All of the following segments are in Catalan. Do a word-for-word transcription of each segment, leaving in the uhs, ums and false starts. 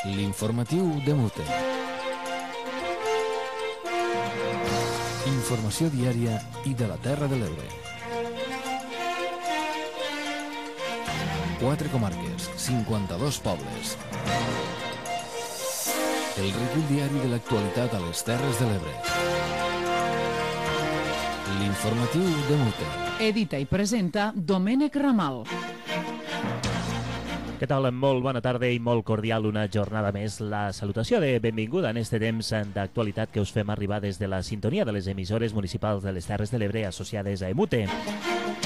L'informatiu de Mute. Informació diària i de la Terra de l'Ebre. Quatre comarques, cinquanta-dos pobles. El recull diari de l'actualitat a les Terres de l'Ebre. L'informatiu de Mute. Edita i presenta Domènec Ramal. Què tal? Molt bona tarda i molt cordial una jornada més. La salutació de benvinguda en este temps d'actualitat que us fem arribar des de la sintonia de les emissores municipals de les Terres de l'Ebre associades a Emute.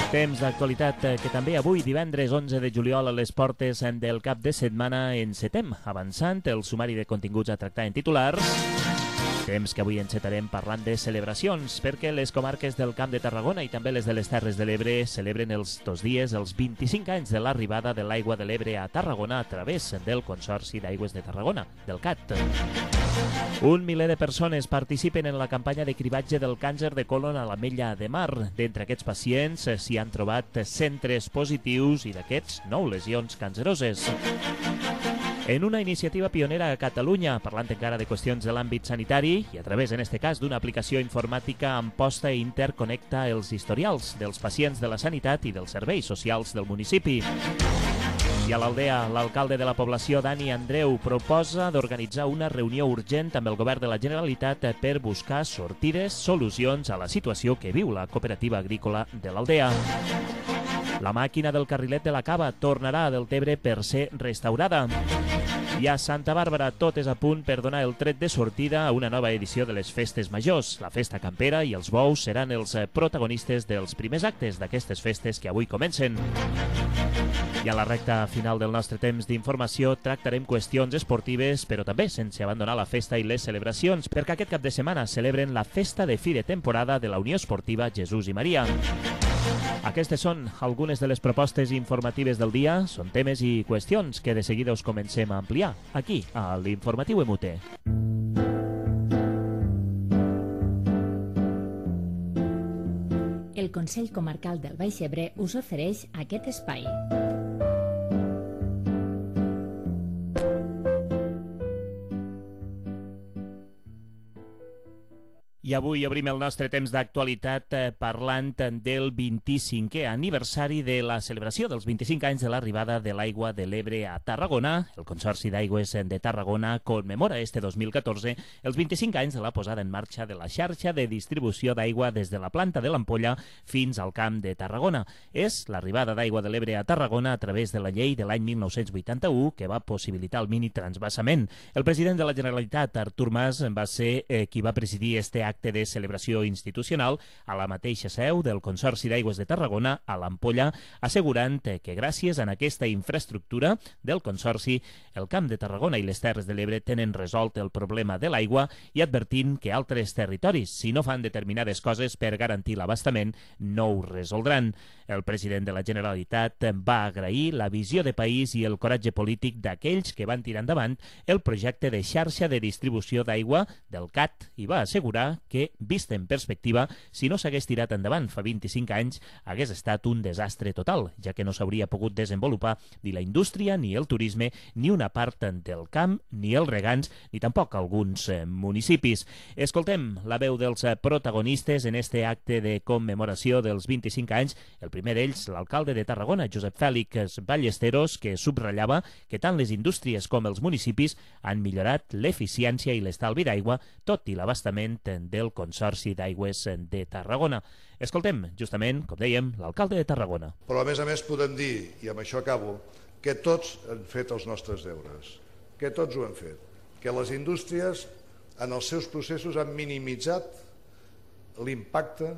Temps d'actualitat que també avui, divendres onze de juliol, a les portes del cap de setmana encetem, avançant el sumari de continguts a tractar en titulars. Temps que avui encetarem parlant de celebracions, perquè les comarques del Camp de Tarragona i també les de les Terres de l'Ebre celebren els dos dies els vint-i-cinc anys de l'arribada de l'aigua de l'Ebre a Tarragona a través del Consorci d'Aigües de Tarragona, del C A T. Un miler de persones participen en la campanya de cribatge del càncer de colon a l'Ametlla de Mar. D'entre aquests pacients s'hi han trobat centres positius i d'aquests nou lesions canceroses. En una iniciativa pionera a Catalunya, parlant encara de qüestions de l'àmbit sanitari i a través, en este cas, d'una aplicació informàtica, Amposta interconnecta els historials dels pacients de la sanitat i dels serveis socials del municipi. I a l'Aldea, l'alcalde de la població, Dani Andreu, proposa d'organitzar una reunió urgent amb el govern de la Generalitat per buscar sortides, solucions a la situació que viu la cooperativa agrícola de l'Aldea. La màquina del carrilet de la Cava tornarà a Deltebre per ser restaurada. I a Santa Bàrbara tot és a punt per donar el tret de sortida a una nova edició de les festes majors. La festa campera i els bous seran els protagonistes dels primers actes d'aquestes festes que avui comencen. I a la recta final del nostre temps d'informació tractarem qüestions esportives, però també sense abandonar la festa i les celebracions, perquè aquest cap de setmana celebren la festa de fi de temporada de la Unió Esportiva Jesús i Maria. Aquestes són algunes de les propostes informatives del dia. Són temes i qüestions que de seguida us comencem a ampliar aquí, a l'Informatiu Emute. El Consell Comarcal del Baix Ebre us ofereix aquest espai. I avui obrim el nostre temps d'actualitat eh, parlant del vint-i-cinquè aniversari de la celebració dels vint-i-cinc anys de l'arribada de l'aigua de l'Ebre a Tarragona. El Consorci d'Aigües de Tarragona commemora este dos mil catorze els vint-i-cinc anys de la posada en marxa de la xarxa de distribució d'aigua des de la planta de l'Ampolla fins al Camp de Tarragona. És l'arribada d'aigua de l'Ebre a Tarragona a través de la llei de l'any mil nou-cents vuitanta-u que va possibilitar el mini transvasament. El president de la Generalitat, Artur Mas, va ser eh, qui va presidir este acte de celebració institucional a la mateixa seu del Consorci d'Aigües de Tarragona, a l'Ampolla, assegurant que gràcies a aquesta infraestructura del Consorci, el Camp de Tarragona i les Terres de l'Ebre tenen resolt el problema de l'aigua i advertint que altres territoris, si no fan determinades coses per garantir l'abastament, no ho resoldran. El president de la Generalitat va agrair la visió de país i el coratge polític d'aquells que van tirar endavant el projecte de xarxa de distribució d'aigua del C A T i va assegurar que, vist en perspectiva, si no s'hagués tirat endavant fa vint-i-cinc anys, hagués estat un desastre total, ja que no s'hauria pogut desenvolupar ni la indústria, ni el turisme, ni una part del camp, ni els regants, ni tampoc alguns eh, municipis. Escoltem la veu dels eh, protagonistes en este acte de commemoració dels vint-i-cinc anys. El primer d'ells, l'alcalde de Tarragona, Josep Fèlix Ballesteros, que subratllava que tant les indústries com els municipis han millorat l'eficiència i l'estalvi d'aigua, tot i l'abastament del Consorci d'Aigües de Tarragona. Escoltem, justament, com dèiem, l'alcalde de Tarragona. Però a més a més podem dir, i amb això acabo, que tots han fet els nostres deures, que tots ho han fet, que les indústries en els seus processos han minimitzat l'impacte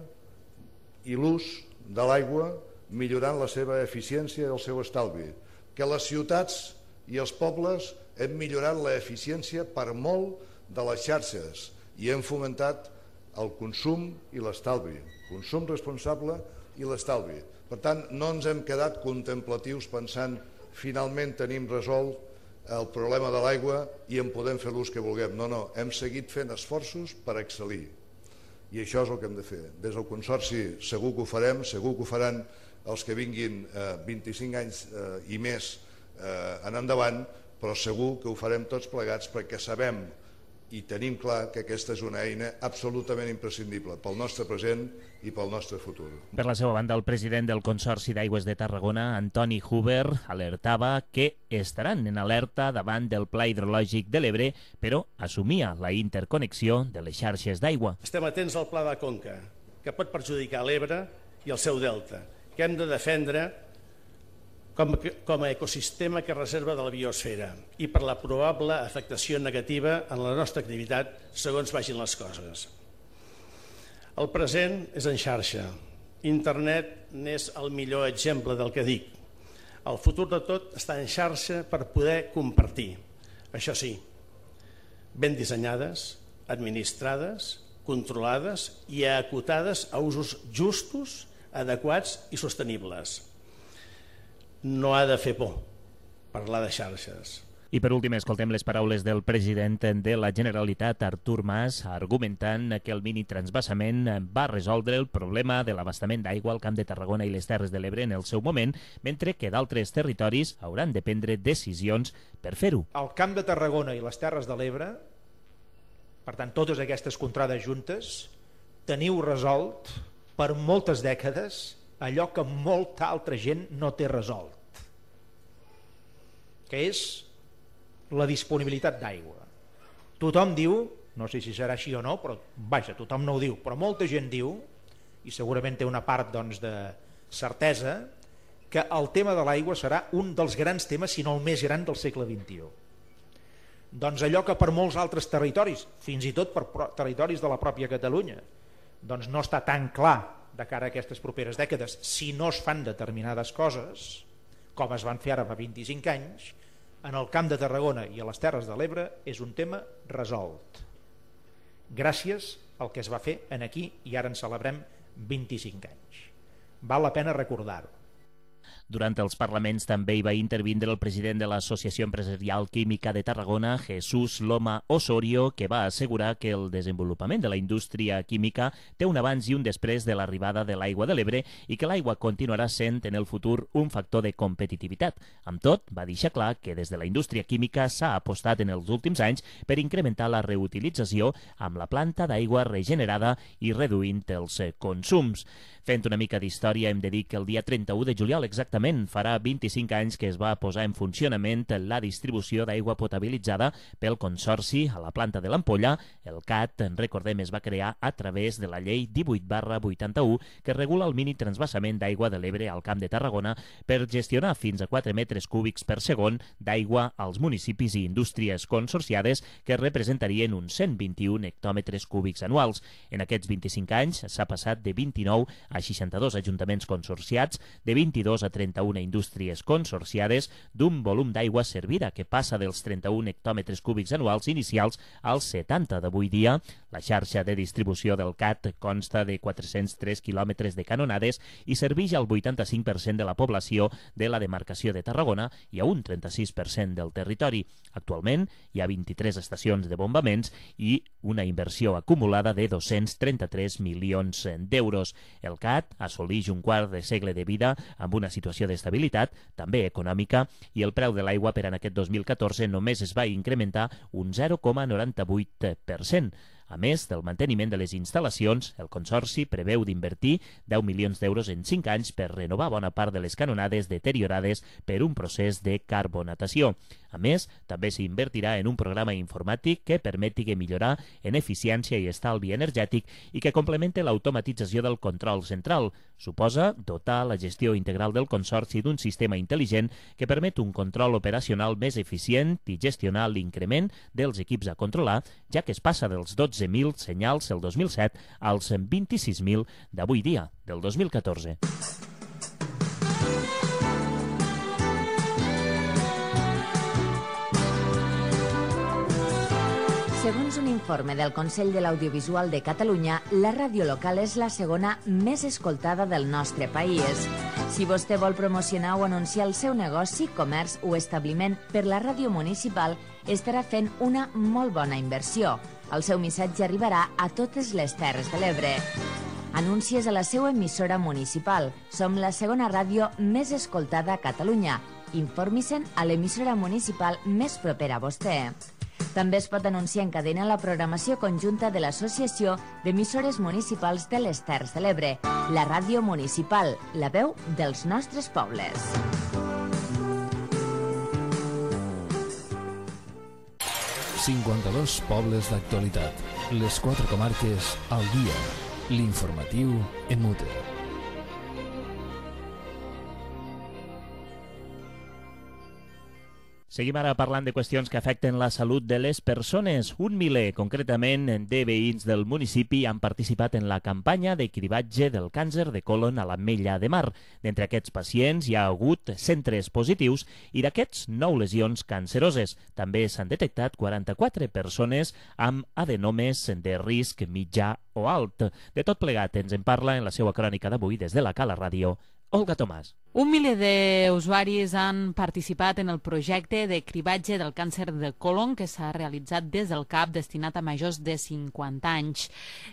i l'ús de l'aigua, millorant la seva eficiència i el seu estalvi, que les ciutats i els pobles hem millorat l'eficiència per molt de les xarxes i hem fomentat el consum i l'estalvi, consum responsable i l'estalvi. Per tant, no ens hem quedat contemplatius pensant finalment tenim resolt el problema de l'aigua i en podem fer l'ús que vulguem. No, no, hem seguit fent esforços per excel·lir. I això és el que hem de fer. Des del Consorci segur que ho farem, segur que ho faran els que vinguin eh, vint-i-cinc anys eh, i més eh, en endavant, però segur que ho farem tots plegats perquè sabem i tenim clar que aquesta és una eina absolutament imprescindible pel nostre present i pel nostre futur. Per la seva banda, el president del Consorci d'Aigües de Tarragona, Antoni Huber, alertava que estaran en alerta davant del Pla Hidrològic de l'Ebre, però assumia la interconnexió de les xarxes d'aigua. Estem atents al Pla de Conca, que pot perjudicar l'Ebre i el seu delta, que hem de defendre com, com a ecosistema que reserva de la biosfera i per la probable afectació negativa en la nostra activitat segons vagin les coses. El present és en xarxa. Internet n'és el millor exemple del que dic. El futur de tot està en xarxa per poder compartir. Això sí, ben dissenyades, administrades, controlades i acotades a usos justos, adequats i sostenibles. No ha de fer por parlar de xarxes. I per últim escoltem les paraules del president de la Generalitat, Artur Mas, argumentant que el mini transvasament va resoldre el problema de l'abastament d'aigua al Camp de Tarragona i les Terres de l'Ebre en el seu moment, mentre que d'altres territoris hauran de prendre decisions per fer-ho. El Camp de Tarragona i les Terres de l'Ebre, per tant totes aquestes contrades juntes, teniu resolt per moltes dècades allò que molta altra gent no té resolt, que és la disponibilitat d'aigua. Tothom diu, no sé si serà així o no, però vaja, tothom no ho diu, però molta gent diu, i segurament té una part doncs, de certesa, que el tema de l'aigua serà un dels grans temes, si no el més gran del segle vint-i-u. Doncs allò que per molts altres territoris, fins i tot per territoris de la pròpia Catalunya, doncs no està tan clar de cara a aquestes properes dècades, si no es fan determinades coses, com es van fer ara fa vint-i-cinc anys, en el Camp de Tarragona i a les Terres de l'Ebre és un tema resolt. Gràcies al que es va fer en aquí i ara en celebrem vint-i-cinc anys. Val la pena recordar-ho. Durant els parlaments també hi va intervindre el president de l'Associació Empresarial Química de Tarragona, Jesús Loma Osorio, que va assegurar que el desenvolupament de la indústria química té un abans i un després de l'arribada de l'aigua de l'Ebre i que l'aigua continuarà sent en el futur un factor de competitivitat. Amb tot, va deixar clar que des de la indústria química s'ha apostat en els últims anys per incrementar la reutilització amb la planta d'aigua regenerada i reduint els consums. Fent una mica d'història, hem de dir que el dia trenta-u de juliol exactament farà vint-i-cinc anys que es va posar en funcionament la distribució d'aigua potabilitzada pel Consorci a la planta de l'Ampolla. El C A T, recordem, es va crear a través de la llei divuit barra vuitanta-u que regula el mini transvasament d'aigua de l'Ebre al Camp de Tarragona per gestionar fins a quatre metres cúbics per segon d'aigua als municipis i indústries consorciades que representarien uns cent vint-i-un hectòmetres cúbics anuals. En aquests vint-i-cinc anys s'ha passat de vint-i-nou a seixanta-dos ajuntaments consorciats, de vint-i-dos a trenta-una indústries consorciades, d'un volum d'aigua servida que passa dels trenta-un hectòmetres cúbics anuals inicials als setanta d'avui dia. La xarxa de distribució del C A T consta de quatre-cents tres quilòmetres de canonades i serveix al vuitanta-cinc per cent de la població de la demarcació de Tarragona i a un trenta-sis per cent del territori. Actualment hi ha vint-i-tres estacions de bombaments i una inversió acumulada de dos-cents trenta-tres milions d'euros. El C A T assoleix un quart de segle de vida amb una situació d'estabilitat, també econòmica, i el preu de l'aigua per en aquest dos mil catorze només es va incrementar un zero coma noranta-vuit per cent. A més del manteniment de les instal·lacions, el Consorci preveu d'invertir deu milions d'euros en cinc anys per renovar bona part de les canonades deteriorades per un procés de carbonatació. A més, també s'invertirà en un programa informàtic que permeti millorar en eficiència i estalvi energètic i que complemente l'automatització del control central. Suposa dotar la gestió integral del Consorci d'un sistema intel·ligent que permet un control operacional més eficient i gestionar l'increment dels equips a controlar, ja que es passa dels dotze mil senyals el dos mil set als vint-i-sis mil d'avui dia, del dos mil catorze. Segons un informe del Consell de l'Audiovisual de Catalunya, la ràdio local és la segona més escoltada del nostre país. Si vostè vol promocionar o anunciar el seu negoci, comerç o establiment per la ràdio municipal, estarà fent una molt bona inversió. El seu missatge arribarà a totes les Terres de l'Ebre. Anuncies a la seva emissora municipal. Som la segona ràdio més escoltada a Catalunya. Informi-se'n a l'emissora municipal més propera a vostè. També es pot anunciar en cadena la programació conjunta de l'Associació d'Emissores Municipals de les Terres de l'Ebre, la ràdio municipal, la veu dels nostres pobles. cinquanta-dos pobles d'actualitat. Les quatre comarques al dia. L'informatiu en Mute. Seguim ara parlant de qüestions que afecten la salut de les persones. Un miler, concretament, de veïns del municipi han participat en la campanya de cribatge del càncer de colon a l'Ametlla de Mar. D'entre aquests pacients hi ha hagut centres positius i d'aquests nou lesions canceroses. També s'han detectat quaranta-quatre persones amb adenomes de risc mitjà o alt. De tot plegat ens en parla en la seva crònica d'avui des de la Cala Ràdio, Olga Tomàs. Un miler d'usuaris han participat en el projecte de cribatge del càncer de colon que s'ha realitzat des del C A P destinat a majors de cinquanta anys.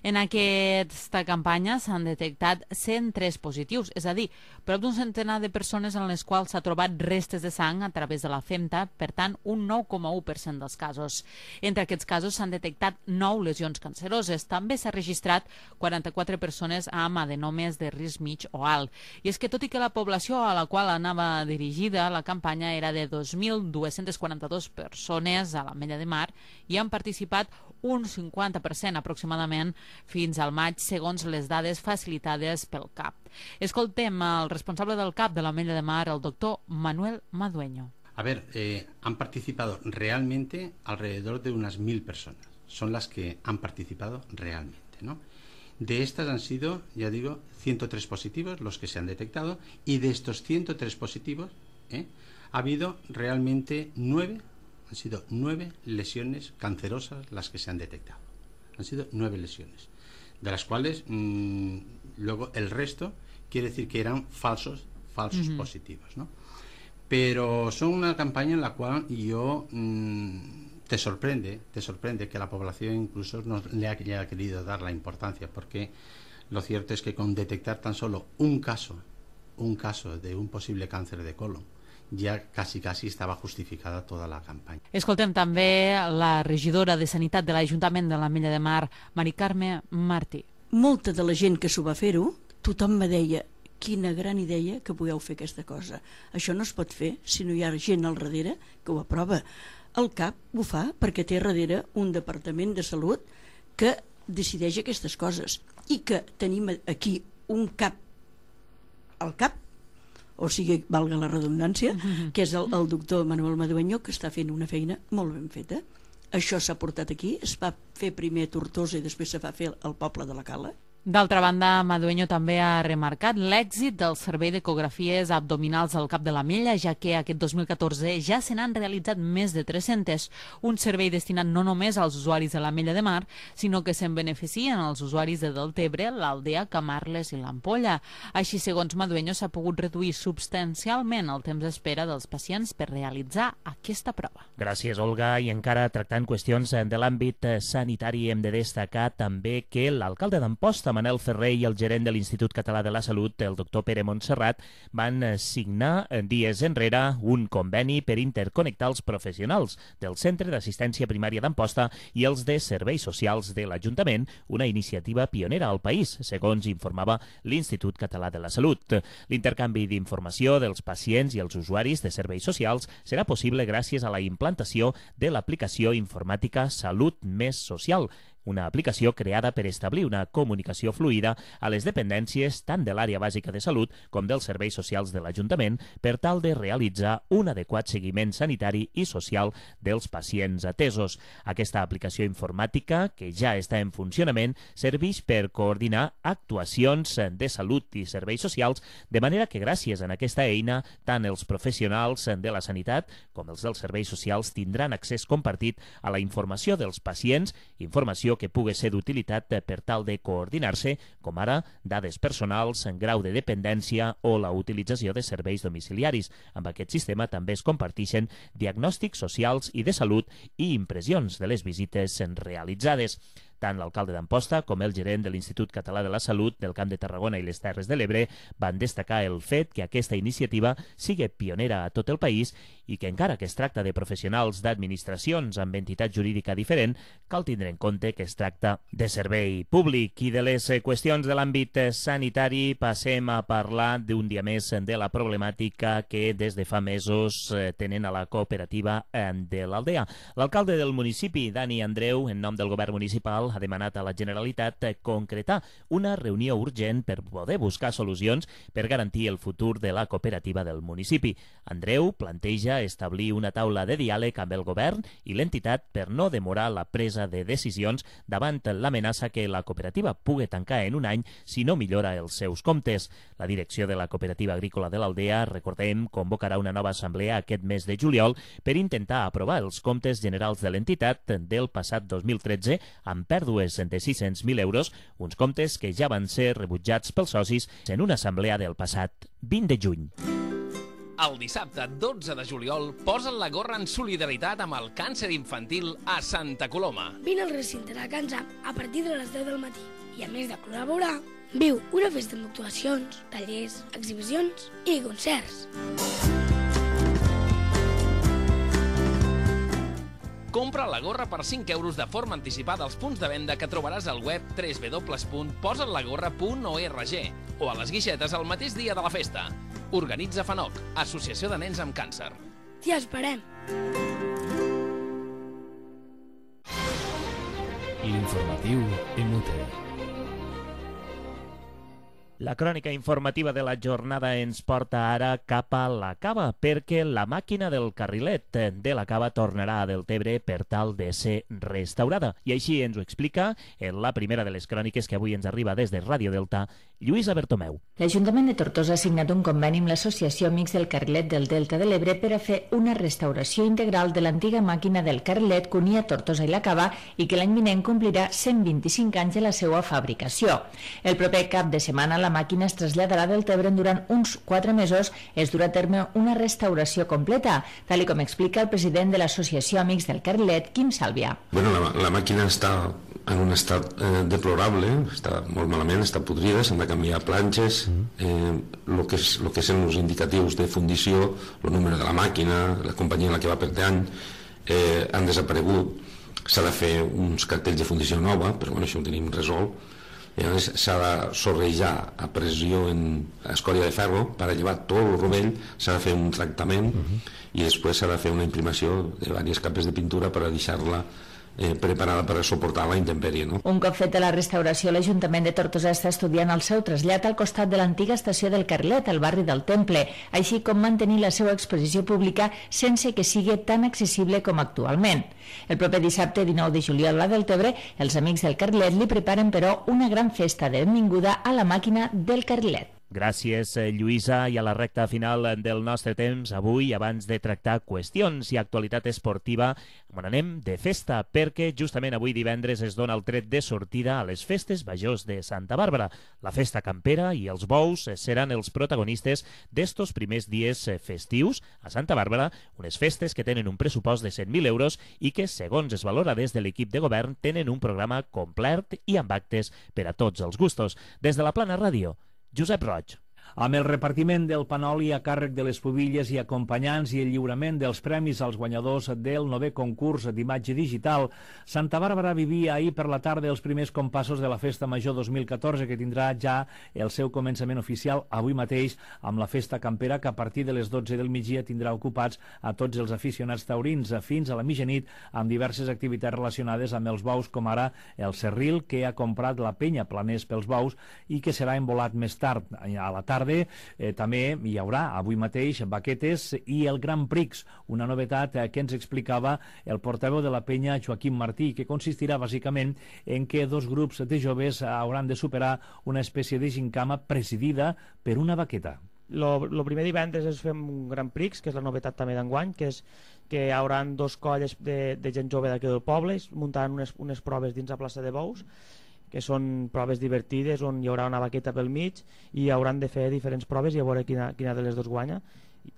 En aquesta campanya s'han detectat cent tres positius, és a dir, prop d'un centenar de persones en les quals s'ha trobat restes de sang a través de la femta, per tant, un nou coma u per cent dels casos. Entre aquests casos s'han detectat nou lesions canceroses. També s'ha registrat quaranta-quatre persones amb adenomes de risc mig o alt. I és que tot i que la població a la qual anava dirigida la campanya era de dos mil dos-cents quaranta-dos persones a l'Ametlla de Mar i han participat un cinquanta per cent aproximadament fins al maig, segons les dades facilitades pel C A P. Escoltem el responsable del C A P de l'Ametlla de Mar, el doctor Manuel Madueño. A ver, eh, han participado realmente alrededor de unas mil personas. Son las que han participado realmente, ¿no? De estas han sido, ya digo, ciento tres positivos los que se han detectado, y de estos ciento tres positivos ¿eh? ha habido realmente nueve, han sido nueve lesiones cancerosas las que se han detectado. Han sido nueve lesiones, de las cuales mmm, luego el resto quiere decir que eran falsos, falsos uh-huh. positivos, ¿no? Pero son una campaña en la cual yo... Mmm, Te sorprende, te sorprende que la población incluso no le haya querido dar la importancia, porque lo cierto es que con detectar tan solo un caso, un caso de un posible cáncer de colon, ja quasi, quasi estava justificada tota la campanya. Escoltem també la regidora de Sanitat de l'Ajuntament de l'Ametlla de Mar, Mari Carme Martí. Molta de la gent que s'ho va fer-ho, tothom me deia quina gran idea que pugueu fer aquesta cosa. Això no es pot fer si no hi ha gent al darrere que ho aprova. El C A P ho fa perquè té darrere un departament de salut que decideix aquestes coses i que tenim aquí un cap al cap, o sigui, valga la redundància, que és el, el doctor Manuel Madueño, que està fent una feina molt ben feta. Això s'ha portat aquí, es va fer primer a Tortosa i després se va fer al poble de la Cala. D'altra banda, Madueño també ha remarcat l'èxit del servei d'ecografies abdominals al Cap de l'Ametlla, ja que aquest dos mil catorze ja se n'han realitzat més de tres-centes, un servei destinat no només als usuaris de l'Ametlla de Mar, sinó que se'n beneficien els usuaris de Deltebre, l'Aldea, Camarles i l'Ampolla. Així, segons Madueño, s'ha pogut reduir substancialment el temps d'espera dels pacients per realitzar aquesta prova. Gràcies, Olga. I encara tractant qüestions de l'àmbit sanitari, hem de destacar també que l'alcalde d'Amposta, Manel Ferrer, i el gerent de l'Institut Català de la Salut, el doctor Pere Montserrat, van signar dies enrere un conveni per interconnectar els professionals del Centre d'Assistència Primària d'Amposta i els de Serveis Socials de l'Ajuntament, una iniciativa pionera al país, segons informava l'Institut Català de la Salut. L'intercanvi d'informació dels pacients i els usuaris de serveis socials serà possible gràcies a la implantació de l'aplicació informàtica Salut Més Social, una aplicació creada per establir una comunicació fluida a les dependències tant de l'àrea bàsica de salut com dels serveis socials de l'Ajuntament per tal de realitzar un adequat seguiment sanitari i social dels pacients atesos. Aquesta aplicació informàtica, que ja està en funcionament, serveix per coordinar actuacions de salut i serveis socials, de manera que gràcies a aquesta eina tant els professionals de la sanitat com els dels serveis socials tindran accés compartit a la informació dels pacients, informació que pugui ser d'utilitat per tal de coordinar-se, com ara dades personals, grau de dependència o la utilització de serveis domiciliaris. Amb aquest sistema també es comparteixen diagnòstics socials i de salut i impressions de les visites realitzades. Tant l'alcalde d'Amposta com el gerent de l'Institut Català de la Salut del Camp de Tarragona i les Terres de l'Ebre van destacar el fet que aquesta iniciativa sigui pionera a tot el país i que encara que es tracta de professionals d'administracions amb entitat jurídica diferent, cal tindre en compte que es tracta de servei públic. I de les qüestions de l'àmbit sanitari passem a parlar d'un dia més de la problemàtica que des de fa mesos tenen a la cooperativa de l'Aldea. L'alcalde del municipi, Dani Andreu, en nom del govern municipal, ha demanat a la Generalitat concretar una reunió urgent per poder buscar solucions per garantir el futur de la cooperativa del municipi. Andreu planteja establir una taula de diàleg amb el govern i l'entitat per no demorar la presa de decisions davant l'amenaça que la cooperativa pugui tancar en un any si no millora els seus comptes. La direcció de la cooperativa agrícola de l'Aldea, recordem, convocarà una nova assemblea aquest mes de juliol per intentar aprovar els comptes generals de l'entitat del passat dos mil tretze amb pèrdues de sis-cents mil euros, uns comptes que ja van ser rebutjats pels socis en una assemblea del passat vint de juny. El dissabte dotze de juliol posen la gorra en solidaritat amb el càncer infantil a Santa Coloma. Vine al recinte de Can Zam a partir de les deu del matí i, a més de col·laborar, viu una festa amb actuacions, tallers, exhibicions i concerts. Compra la gorra per cinc euros de forma anticipada als punts de venda que trobaràs al web w w w punt posalagorra punt org o a les guixetes el mateix dia de la festa. Organitza FANOC, Associació de Nens amb Càncer. T'hi esperem! L'informatiu Emute. La crònica informativa de la jornada ens porta ara cap a la Cava, perquè la màquina del carrilet de la Cava tornarà a Deltebre per tal de ser restaurada. I així ens ho explica en la primera de les cròniques que avui ens arriba des de Ràdio Delta, Lluïsa Bertomeu. L'Ajuntament de Tortosa ha signat un conveni amb l'Associació Amics del Carrilet del Delta de l'Ebre per a fer una restauració integral de l'antiga màquina del carrilet que unia Tortosa i la Cava i que l'any vinent complirà cent vint-i-cinc anys de la seva fabricació. El proper cap de setmana la màquina es traslladarà del Tebre durant uns quatre mesos. Es durà a terme una restauració completa, tal com explica el president de l'Associació Amics del Carrilet, Quim Sàlvia. Bueno, la, la màquina està en un estat eh, deplorable, està molt malament, està podrida, s'han de canviar planxes, eh, lo que és, lo que són els indicatius de fundició, el número de la màquina, la companyia en la que va per any, eh, han desaparegut. S'ha de fer uns cartells de fundició nova, però bueno, això ho tenim resolt. S'ha de sorrejar a pressió en escòria de ferro per a llevar tot el rovell, s'ha de fer un tractament uh-huh. i després s'ha de fer una imprimació de diverses capes de pintura per a deixar-la eh, preparada per a suportar la intempèrie. No? Un cop feta la restauració, l'Ajuntament de Tortosa està estudiant el seu trasllat al costat de l'antiga estació del Carrilet, al barri del Temple, així com mantenir la seva exposició pública sense que sigui tan accessible com actualment. El proper dissabte dinou de juliol a Deltebre, els Amics del Carrilet li preparen, però, una gran festa de benvinguda a la màquina del Carrilet. Gràcies, Lluïsa. I a la recta final del nostre temps, avui, abans de tractar qüestions i actualitat esportiva, on anem de festa, perquè justament avui divendres es dona el tret de sortida a les festes majors de Santa Bàrbara. La festa campera i els bous seran els protagonistes d'estos primers dies festius a Santa Bàrbara, unes festes que tenen un pressupost de cent mil euros i que, segons es valora des de l'equip de govern, tenen un programa complet i amb actes per a tots els gustos. Des de la Plana Ràdio, Josep Roig. Amb el repartiment del panoli a càrrec de les pubilles i acompanyants i el lliurament dels premis als guanyadors del novè concurs d'imatge digital, Santa Bàrbara vivia ahir per la tarda els primers compassos de la Festa Major dos mil catorze, que tindrà ja el seu començament oficial avui mateix amb la festa campera, que a partir de les dotze del migdia tindrà ocupats a tots els aficionats taurins fins a la mitjanit, amb diverses activitats relacionades amb els bous, com ara el serril que ha comprat la penya Planers pels bous i que serà embolat més tard. A la tarda Eh, també hi haurà avui mateix baquetes i el Gran Prix, una novetat eh, que ens explicava el portaveu de la penya, Joaquim Martí, que consistirà bàsicament en que dos grups de joves hauran de superar una espècie de gincama presidida per una baqueta. El primer divendres es fem un Gran Prix, que és la novetat també d'enguany, que és que hi haurà dos colles de, de gent jove d'aquí del poble, muntant unes, unes proves dins la plaça de Bous, que són proves divertides on hi haurà una baqueta pel mig i hauran de fer diferents proves i a veure quina, quina de les dos guanya.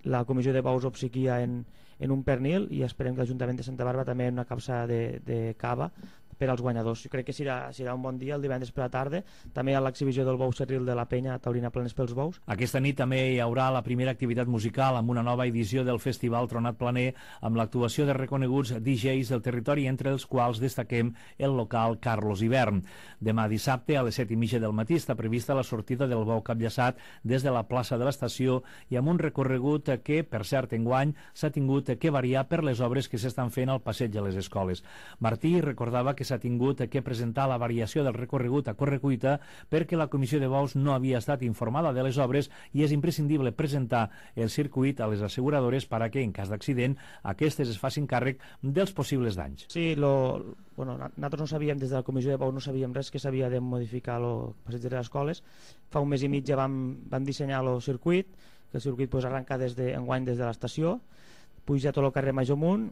La comissió de bous obsequia en, en un pernil i esperem que l'Ajuntament de Santa Bàrbara també en una capsa de, de cava per als guanyadors. Jo crec que serà, serà un bon dia el divendres per la tarda. També hi ha l'exhibició del bou Cerril de la Penya, Taurina Planes pels Bous. Aquesta nit també hi haurà la primera activitat musical amb una nova edició del Festival Tronat Planer amb l'actuació de reconeguts D Js del territori, entre els quals destaquem el local Carlos Hivern. Demà dissabte a les set i mitja del matí està prevista la sortida del bou capllaçat des de la plaça de l'estació i amb un recorregut que, per cert, enguany s'ha tingut que variar per les obres que s'estan fent al passeig de les escoles. Martí recordava que s'ha tingut que presentar la variació del recorregut a correcuita perquè la comissió de bous no havia estat informada de les obres i és imprescindible presentar el circuit a les asseguradores per a que, en cas d'accident, aquestes es facin càrrec dels possibles danys. Sí, lo, bueno, nosaltres no sabíem, des de la comissió de bous no sabíem res, que s'havia de modificar el passeig de les escoles. Fa un mes i mig ja vam, vam dissenyar el circuit, que el circuit pues, arrenca des de, enguany des de l'estació, puja tot el carrer Major Munt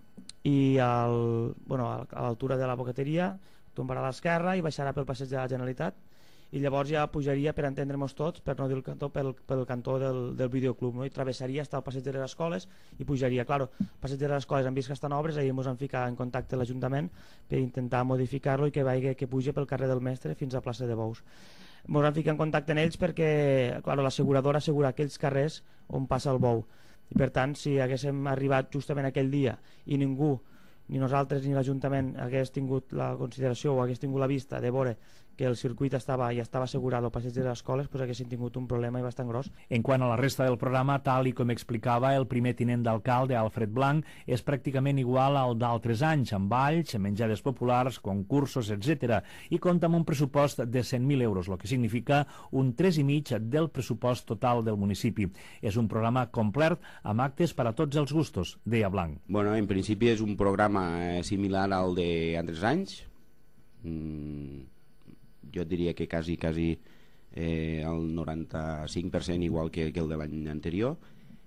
i al, bueno, a l'altura de la bocateria tombarà a l'esquerra i baixarà pel passeig de la Generalitat, i llavors ja pujaria, per entendre'ns tots, per no dir el cantó, pel, pel cantó del, del videoclub, no? I travessaria hasta el passeig de les escoles i pujaria. Claro, el passeig de les escoles hem vist que estan obres, ahir ens vam ficar en contacte amb l'Ajuntament per intentar modificar-lo i que vagi, que pugi pel carrer del Mestre fins a plaça de Bous. Ens vam ficar en contacte amb ells perquè, claro, l'asseguradora assegura aquells carrers on passa el bou, i per tant, si haguéssim arribat justament aquell dia i ningú, ni nosaltres ni l'Ajuntament hagués tingut la consideració o hagués tingut la vista de veure que el circuit estava i estava assegurat al passeig de les escoles, doncs haguessin tingut un problema i bastant gros. En quant a la resta del programa, tal i com explicava el primer tinent d'alcalde, Alfred Blanc, és pràcticament igual al d'altres anys, amb balls, menjades populars, concursos, etcètera, i compta amb un pressupost de cent mil euros, el que significa un tres i mig del pressupost total del municipi. És un programa complet amb actes per a tots els gustos, deia Blanc. Bueno, en principi és un programa similar al d'altres anys. Mm, jo diria que quasi, quasi eh, el noranta-cinc per cent igual que, que el de l'any anterior,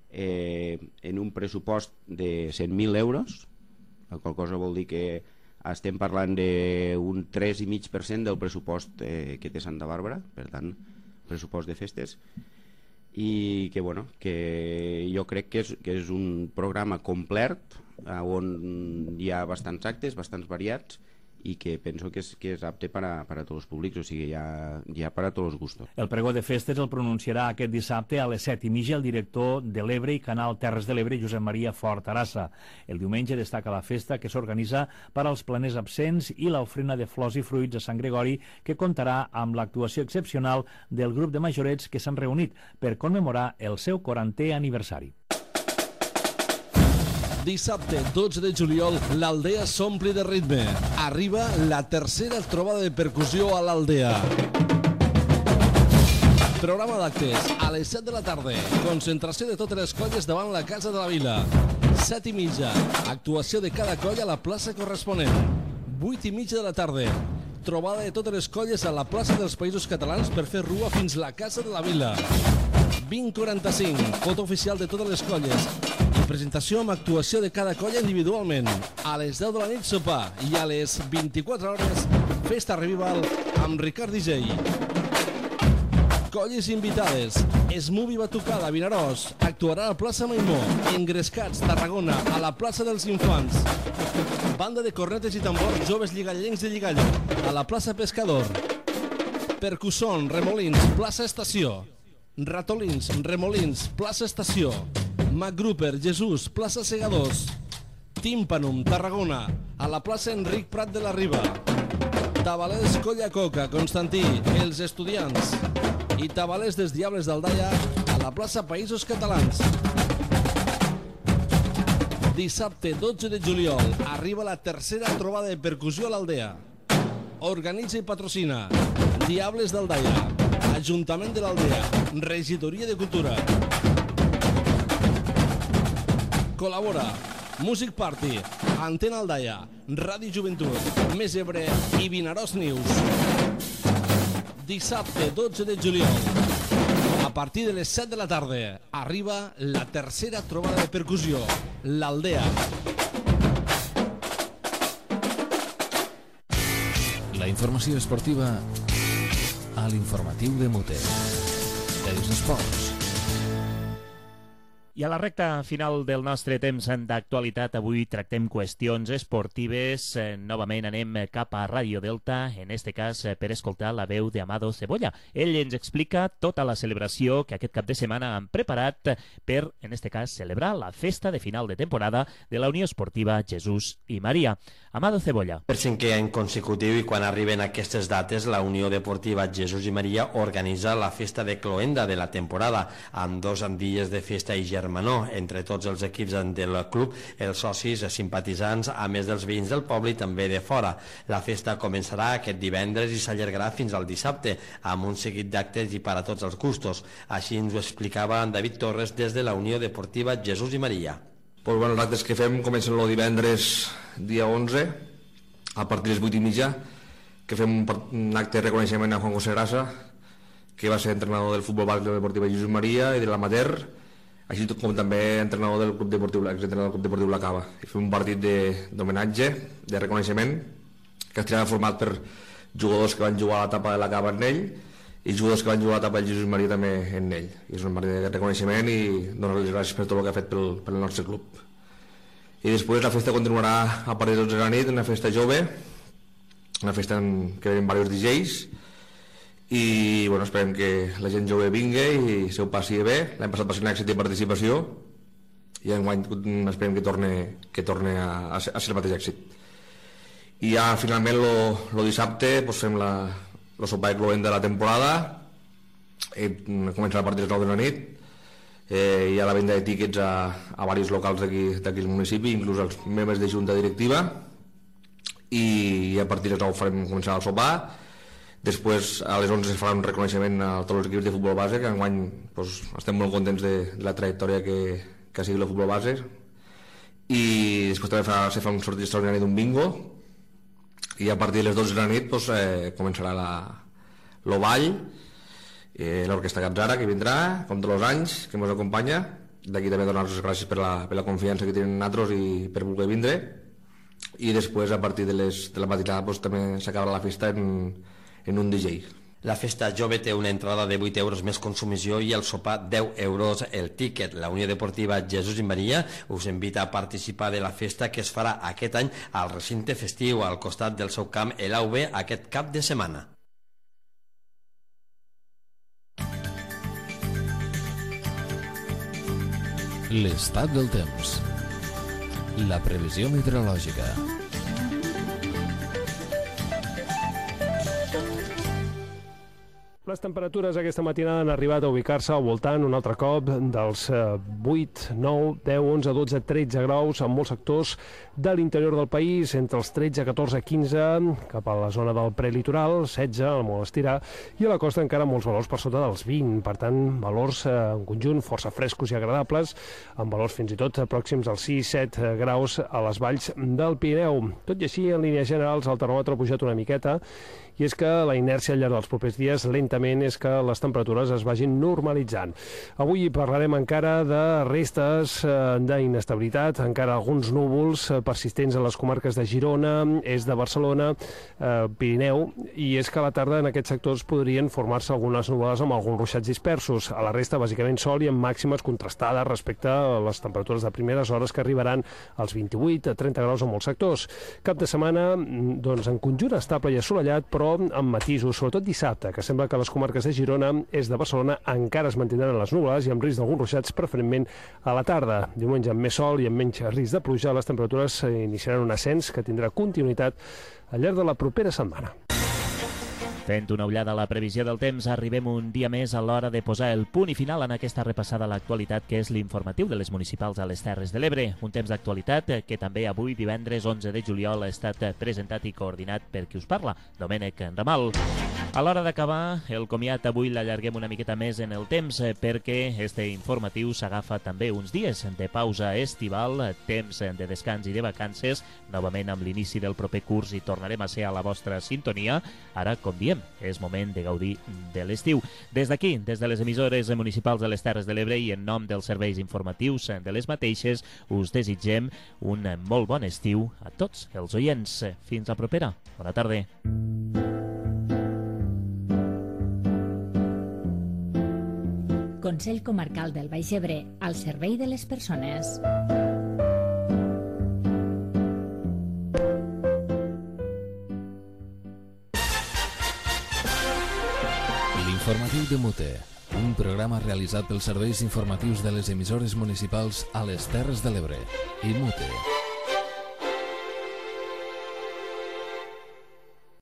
eh, en un pressupost de cent mil euros, la qual cosa vol dir que estem parlant d'un tres i mig per cent del pressupost eh, que té Santa Bàrbara, per tant, pressupost de festes, i que, bueno, que jo crec que és, que és un programa complet on hi ha bastants actes, bastants variats, i que penso que és, que és apte per a, per a tots els públics, o sigui, hi ha, hi ha per a tots els gustos. El pregó de festes el pronunciarà aquest dissabte a les set i mitja el director de l'Ebre i Canal Terres de l'Ebre, Josep Maria Fort Arassa. El diumenge destaca la festa que s'organitza per als planers absents i l'ofrena de flors i fruits a Sant Gregori, que comptarà amb l'actuació excepcional del grup de majorets que s'han reunit per commemorar el seu quarantè aniversari. Dissabte, dotze de juliol, l'Aldea s'ompli de ritme. Arriba la tercera trobada de percussió a l'Aldea. Programa d'actes a les set de la tarda. Concentració de totes les colles davant la Casa de la Vila. set i mitja. Actuació de cada colla a la plaça corresponent. vuit i mitja de la tarda. Trobada de totes les colles a la plaça dels Països Catalans per fer rua fins la Casa de la Vila. vint quaranta-cinc. Foto oficial de totes les colles. I presentació amb actuació de cada colla individualment. A les deu de la nit sopar i a les vint-i-quatre hores festa revival amb Ricard D J. Colles invitades. Smubi Batucada, Vinaròs. Actuarà a plaça Maimó. Engrescats, Tarragona, a la plaça dels Infants. Banda de cornetes i tambors joves lligallencs de Lligalla, a la plaça Pescador. Percusson, Remolins, plaça Estació. Ratolins, Remolins, plaça Estació. MacGruper, Jesús, plaça Segadors. Tímpanum, Tarragona, a la plaça Enric Prat de la Riba. Tabalers, Colla Coca, Constantí, els estudiants. I Tabalers dels Diables d'Aldaia, a la plaça Països Catalans. Dissabte, dotze de juliol, arriba la tercera trobada de percussió a l'Aldea. Organitza i patrocina Diables d'Aldaia, Ajuntament de l'Aldea, Regidoria de Cultura. Col·labora Music Party, Antena Aldaia, Ràdio Joventut, Més Ebre i Vinaròs News. Dissabte, dotze de juliol, a partir de les set de la tarda, arriba la tercera trobada de percussió, l'Aldea. La informació esportiva a l'informatiu de Mute. Els esports. I a la recta final del nostre temps d'actualitat, avui tractem qüestions esportives. Eh, novament anem cap a Ràdio Delta, en este cas eh, per escoltar la veu d'Amado Cebolla. Ell ens explica tota la celebració que aquest cap de setmana han preparat per, en este cas, celebrar la festa de final de temporada de la Unió Esportiva Jesús i Maria. Amado Cebolla. Per cinquè any consecutiu i quan arriben aquestes dates, la Unió Deportiva Jesús i Maria organitza la festa de cloenda de la temporada, amb dos dies de festa i germanor entre tots els equips del club, els socis, simpatitzants, a més dels veïns del poble i també de fora. La festa començarà aquest divendres i s'allargarà fins al dissabte, amb un seguit d'actes i per a tots els gustos. Així ens ho explicava en David Torres des de la Unió Deportiva Jesús i Maria. Pues bueno, els actes que fem comencen el divendres dia onze a partir de les vuit i mitja, que fem un, un acte de reconeixement a Juan José Grasa, que va ser entrenador del futbol bàsic de la Deportiva Jesús Maria i de l'Amater, així com també entrenador del Club Deportiu, exentrenador del Club Deportiu La Cava. I fem un partit d'homenatge, de, de reconeixement, que estarà format per jugadors que van jugar a l'etapa de La Cava en ell i jugadors que van jugar a l'etapa del Jesús Maria també en ell. I és un partit de reconeixement i donar-li les gràcies per tot el que ha fet pel, pel nostre club. I després la festa continuarà a partir de les dotze de la nit, una festa jove, una festa en què venen diversos D Js, i bueno, esperem que la gent jove vingui i se ho passi bé. L'any passat va ser un èxit de participació i enguany esperem que torne, que torne a, a, ser, a ser el mateix èxit. I ja finalment el dissabte pues, fem la, el sopar de cloent de la temporada, i començarà a partir de les nou de la nit. Eh, hi ha la venda de tíquets a, a diversos locals d'aquí al municipi, inclús els membres de junta directiva, i a partir de les nou farem començar el sopar. Després a les onze es farà un reconeixement a tots els equips de futbol base, que enguany pues, estem molt contents de, de la trajectòria que, que ha sigut el futbol base. I després també fa, se fa un sortit extraordinari d'un bingo, i a partir de les dotze de la nit pues, eh, començarà la, el ball, eh, l'orquestra Gatzara que vindrà, com tots els anys, que ens acompanya. D'aquí també donar-los les gràcies per la, per la confiança que tenen nosaltres i per voler vindre. I després a partir de, les, de la matinada pues, també s'acabarà la festa en en un D J. La festa jove té una entrada de vuit euros més consumició i el sopar deu euros el tíquet. La Unió Deportiva Jesús i Maria us invita a participar de la festa que es farà aquest any al recinte festiu al costat del seu camp el A U B aquest cap de setmana. L'estat del temps. La previsió meteorològica. Les temperatures aquesta matinada han arribat a ubicar-se al voltant un altre cop dels vuit, nou, deu, onze, dotze, tretze graus en molts sectors de l'interior del país, entre els tretze, catorze, quinze, cap a la zona del prelitoral, setze, al molt estirà, i a la costa encara molts valors per sota dels vint, per tant, valors en conjunt força frescos i agradables, amb valors fins i tot pròxims als sis set graus a les valls del Pirineu. Tot i així, en línies generals, el termòmetre ha pujat una miqueta, i és que la inèrcia al llarg dels propers dies lentament és que les temperatures es vagin normalitzant. Avui parlarem encara de restes d'inestabilitat, encara alguns núvols persistents a les comarques de Girona, est de Barcelona, eh, Pirineu, i és que a la tarda en aquests sectors podrien formar-se algunes nuvolades amb alguns ruixats dispersos. A la resta, bàsicament sol i amb màximes contrastades respecte a les temperatures de primeres hores que arribaran als vint-i-vuit a trenta graus en molts sectors. Cap de setmana, doncs, en conjunt estable i assolellat, però amb matisos, sobretot dissabte, que sembla que les comarques de Girona, est de Barcelona, encara es mantindran les nuvolades i amb risc d'alguns ruixats, preferentment a la tarda. Diumenge amb més sol i amb menys risc de pluja, les temperatures iniciaran un ascens que tindrà continuïtat al llarg de la propera setmana. Fent una ullada a la previsió del temps, arribem un dia més a l'hora de posar el punt i final en aquesta repassada a l'actualitat que és l'informatiu de les municipals a les Terres de l'Ebre. Un temps d'actualitat que també avui, divendres onze de juliol, ha estat presentat i coordinat per qui us parla, Domènec Ramal. A l'hora d'acabar, el comiat avui l'allarguem una miqueta més en el temps perquè este informatiu s'agafa també uns dies de pausa estival, temps de descans i de vacances, novament amb l'inici del proper curs i tornarem a ser a la vostra sintonia. Ara, com diem, és moment de gaudir de l'estiu. Des d'aquí, des de les emissores municipals de les Terres de l'Ebre i en nom dels serveis informatius de les mateixes, us desitgem un molt bon estiu a tots els oients. Fins la propera. Bona tarda. Consell Comarcal del Baix Ebre, al servei de les persones. L'informatiu de Mute, un programa realitzat pels serveis informatius de les emissores municipals a les Terres de l'Ebre i Mute.